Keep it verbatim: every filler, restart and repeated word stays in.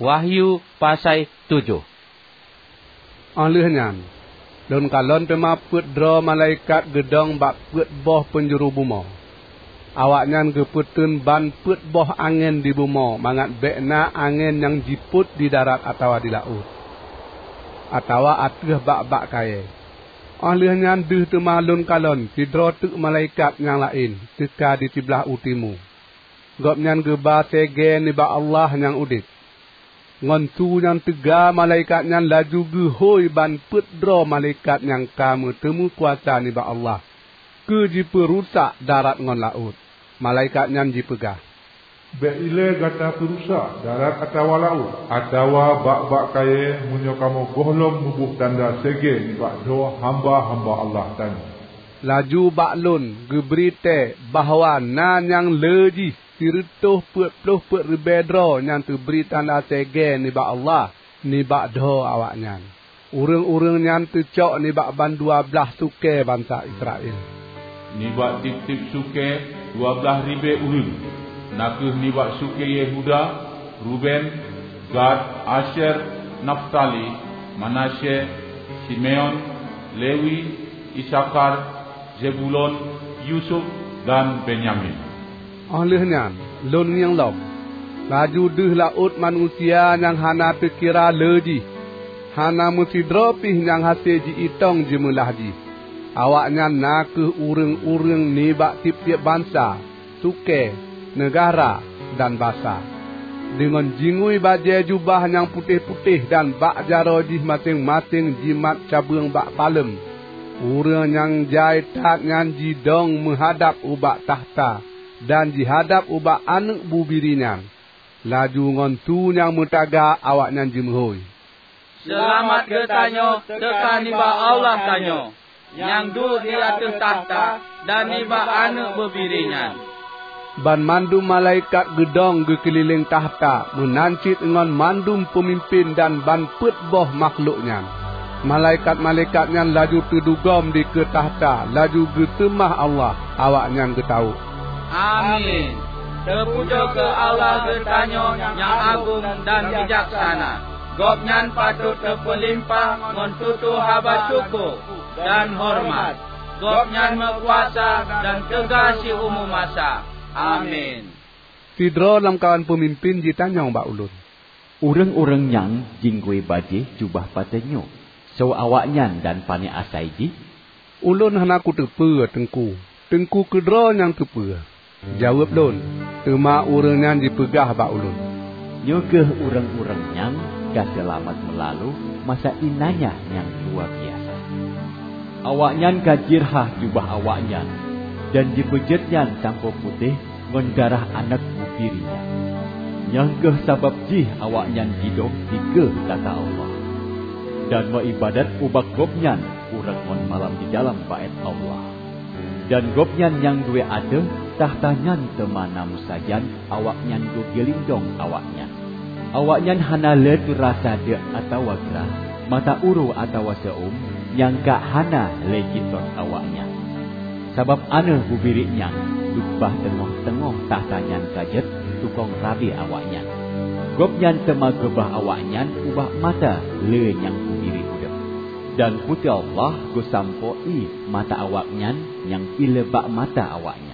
Wahyu pasai tujoh. Óh lheueh nyan, lôn kalon teuma peuet droe malaikat geudong bak peuet boh peunjuru bumoe. Awaknyan geupeuteun ban peuet boh angén di bumoe mangat bék na angén nyang jipôt di darat atawa di laôt, atawa ateueh bak-bak kayée. Óh lheueh nyan deuh teuma lôn kalon sidroe teuk malaikat nyang laén teuka di siblaih u timu. Gobnyan geuba segée nibak Allah nyang udeb. Ngon su nyang teuga malaikat nyan laju geuhôi ban peuet droe malaikat nyang ka meuteumé kuasa nibak Allah keu jipeurusak darat ngon laôt. Malaikat nyan jipeugah, "Bék ilée gata peurusak darat atawa laôt, atawa bak-bak kayée meunyoe kamoe gohlom muboh tanda segée nibak droe hamba-hamba Allah tanyoe." Laju bak lôn geubri tée bahwa na nyang le jih sireutôh peuet ploh peuet ribée droe nyang teubri tanda segée nibak Allah nibak dhoe awaknyan. Ureuëng-ureuëng nyan teucok nibak bandua blaih sukée bansa Israel. Nibak tieb-tieb sukée dua blaih ribée ureuëng, na kheueh nibak sukée Yehuda, Ruben, Gad, Asyer, Naftali, Manasye, Simeon, Lewi, Isakhar, Zebulon, Yusuf, dan Benyamin. Óh lheueh nyan, lôn ngieng lom. Laju deuh laôt manusia nyang hana teukira le jih, hana meusidroe pih nyang hase ji-itong jeumeulah jih. Awaknyan na kheueh ureuëng-ureuëng nibak tieb-tieb bansa, sukée, neugahra, dan basa. Deungon jingui bajée jubah nyang putéh-putéh dan bak jaroe jih maséng-maséng jimat cabeueng bak paleuem. Ureuëng nyang jai that nyan jidong meuhadab ubak takhta dan jihadab ubak Aneuëk Bubiri nyan. Laju ngon su nyang meutaga awaknyan jimeuhôi, "Seulamat geutanyoe teuka nibak Allah tanyoe, nyang duek di ateueh takhta, dan nibak Aneuëk Bubiri nyan." Banmandum malaikat geudong geukeulileng takhta meunan cit ngon mandum peumimpén dan ban peuet boh makhlok nyan. Malaikat-malaikat nyan laju teudugom dikeue takhta, laju geuseumah Allah. Awaknyan geutawök, "Amin! Teupujoe keu Allah geutanyoe nyang agong dan bijaksana! Gobnyan patot teupeulimpah ngon tutoe haba syukoe dan horeumat. Gobnyan meukuasa dan teuga siumu masa! Amin!" Sidroe lamkawan peumimpén jitanyong bak ulôn, "Ureuëng-ureuëng nyang jingui bajée jubah patényoe, soe awaknyan dan pané asai jih?" "Ulôn hana kuteupeue, Teungku. Teungku keudroe nyang teupeue," jaweueb lôn. Teuma ureuëng nyan jipeugah bak ulôn, "Nyoe kheueh ureuëng-ureuëng nyang ka seulamat meulalu masa iénanya nyang luwa biasa. Awaknyan ka jirhah jubah awaknyan dan jipeujeuet nyan sampoe putéh ngon darah Aneuëk Bubiri nyan. Nyan kheueh sabab jih awaknyan jidong dikeue takhta Allah, dan meuiébadat ubak Gobnyan uroe ngon malam didalam Baét Allah. Dan Gobnyan nyang duek ateueh takhta nyan teuma na meusajan awaknyan geugiling dong awaknyan. Awaknyan hana lé teurasa deuk atawa grah, mata uroe atawa seu-uem nyang ka hana lé jitot awaknyan. Sabab Aneuëk Bubiri nyan duek bak teungoh-teungoh takhta nyan ka jeuet tukong rabe awaknyan. Gobnyan teuma geubah awaknyan ubak mata lé nyang peubiri udeb. Dan Puté Allah geusampoe ié mata awaknyan nyang pih lé bak mata awaknyan."